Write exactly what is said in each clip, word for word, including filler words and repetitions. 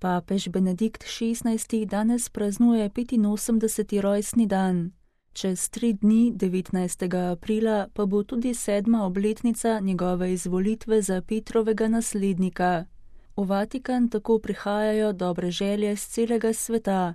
Papež Benedikt šestnajsti danes praznuje petinosemdeseti rojstni dan. Čez tri dni, devetnajstega aprila, pa bo tudi sedma obletnica njegove izvolitve za Petrovega naslednika. V Vatikan tako prihajajo dobre želje z celega sveta.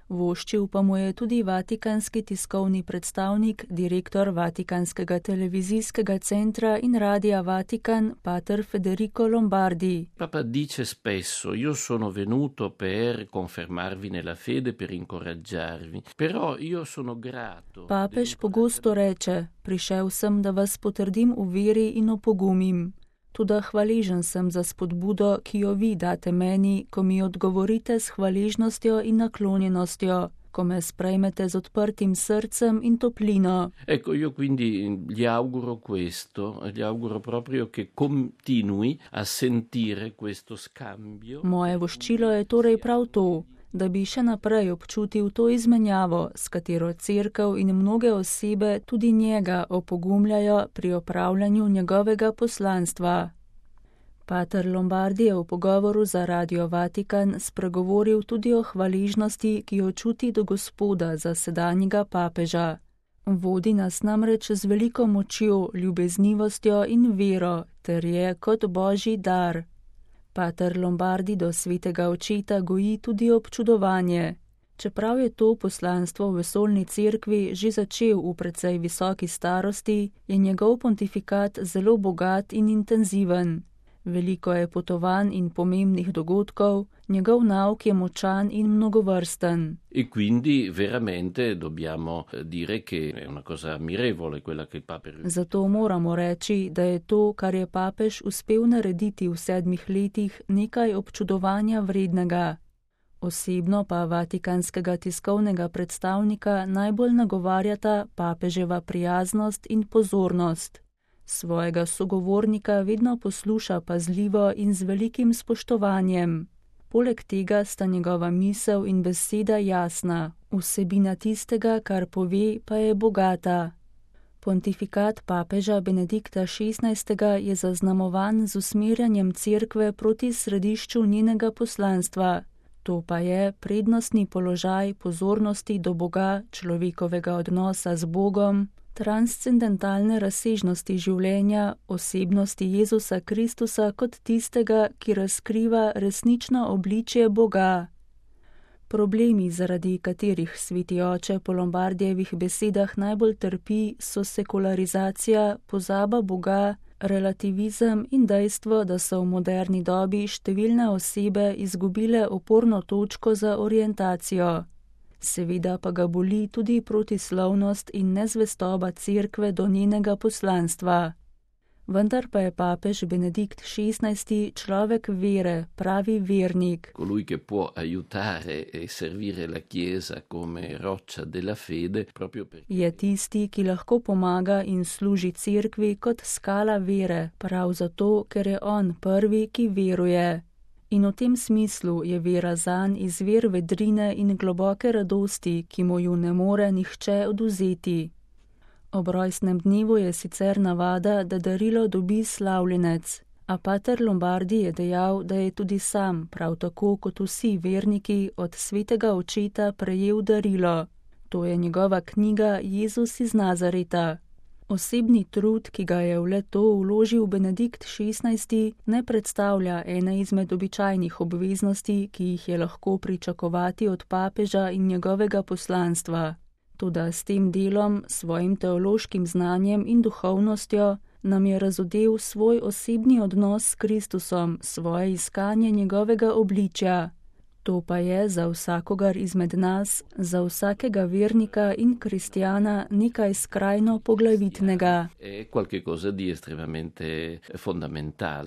Voščil pa mu je tudi vatikanski tiskovni predstavnik, direktor Vatikanskega televizijskega centra in radia Vatikan, pater Federico Lombardi. Papa dice spesso: io sono venuto per confermarvi nella fede, per incoraggiarvi, però io sono grato. Papež pogosto reče: prišel sem, da vas potrdim v veri in opogumim. Toda hvaležen sem za spodbudo, ki jo vi date meni, ko mi odgovorite s hvaležnostjo in naklonjenostjo, ko me sprejmete z odprtim srcem in toplino. Ecco, io quindi gli auguro questo, gli auguro proprio che continui a sentire questo scambio. Moje voščilo je torej prav to, da bi še naprej občutil to izmenjavo, s katero cerkev in mnoge osebe tudi njega opogumljajo pri opravljanju njegovega poslanstva. Pater Lombardi je v pogovoru za Radio Vatikan spregovoril tudi o hvaležnosti, ki jo čuti do Gospoda za sedanjega papeža. Vodi nas namreč z veliko močjo, ljubeznivostjo in vero, ter je kot božji dar. Pater Lombardi do svetega očeta goji tudi občudovanje. Čeprav je to poslanstvo v vesoljni cerkvi že začel v precej visoki starosti, je njegov pontifikat zelo bogat in intenziven. Veliko je potovanj in pomembnih dogodkov, njegov nauk je močan in mnogovrsten. E quindi veramente dobbiamo dire che è una cosa ammirevole quella che il Papa. Zato moramo reči, da je to, kar je papež uspel narediti v sedmih letih, nekaj občudovanja vrednega. Osebno pa vatikanskega tiskovnega predstavnika najbolj nagovarjata papeževa prijaznost in pozornost. Svojega sogovornika vedno posluša pazljivo in z velikim spoštovanjem. Poleg tega sta njegova misel in beseda jasna, vsebina tistega, kar pove, pa je bogata. Pontifikat papeža Benedikta šestnajstega je zaznamovan z usmerjanjem cerkve proti središču njenega poslanstva. To pa je prednostni položaj pozornosti do Boga, človekovega odnosa z Bogom, transcendentalne razsežnosti življenja, osebnosti Jezusa Kristusa kot tistega, ki razkriva resnično obličje Boga. Problemi, zaradi katerih sveti oče po Lombardijevih besedah najbolj trpi, so sekularizacija, pozaba Boga, relativizem in dejstvo, da so v moderni dobi številne osebe izgubile oporno točko za orientacijo. Seveda pa ga boli tudi protislovnost in nezvestoba cerkve do njenega poslanstva. Vendar pa je papež Benedikt šestnajsti človek vere, pravi vernik. Colui che può aiutare e servire la Chiesa come roccia della fede, proprio perché je tisti, ki lahko pomaga in služi cerkvi kot skala vere, prav zato, ker je on prvi, ki veruje. In v tem smislu je vera zanj izvir vedrine in globoke radosti, ki mu ju ne more nihče odvzeti. Ob rojstnem dnevu je sicer navada, da darilo dobi slavljenec, a pater Lombardi je dejal, da je tudi sam, prav tako kot vsi verniki, od svetega očeta prejel darilo. To je njegova knjiga Jezus iz Nazareta. Osebni trud, ki ga je v le-to vložil Benedikt šestnajsti, ne predstavlja ene izmed običajnih obveznosti, ki jih je lahko pričakovati od papeža in njegovega poslanstva. Toda s tem delom, svojim teološkim znanjem in duhovnostjo, nam je razodel svoj osebni odnos s Kristusom, svoje iskanje njegovega obličja. To pa je za vsakogar izmed nas, za vsakega vernika in kristjana nekaj skrajno poglavitnega. È qualche cosa di estremamente fondamentale.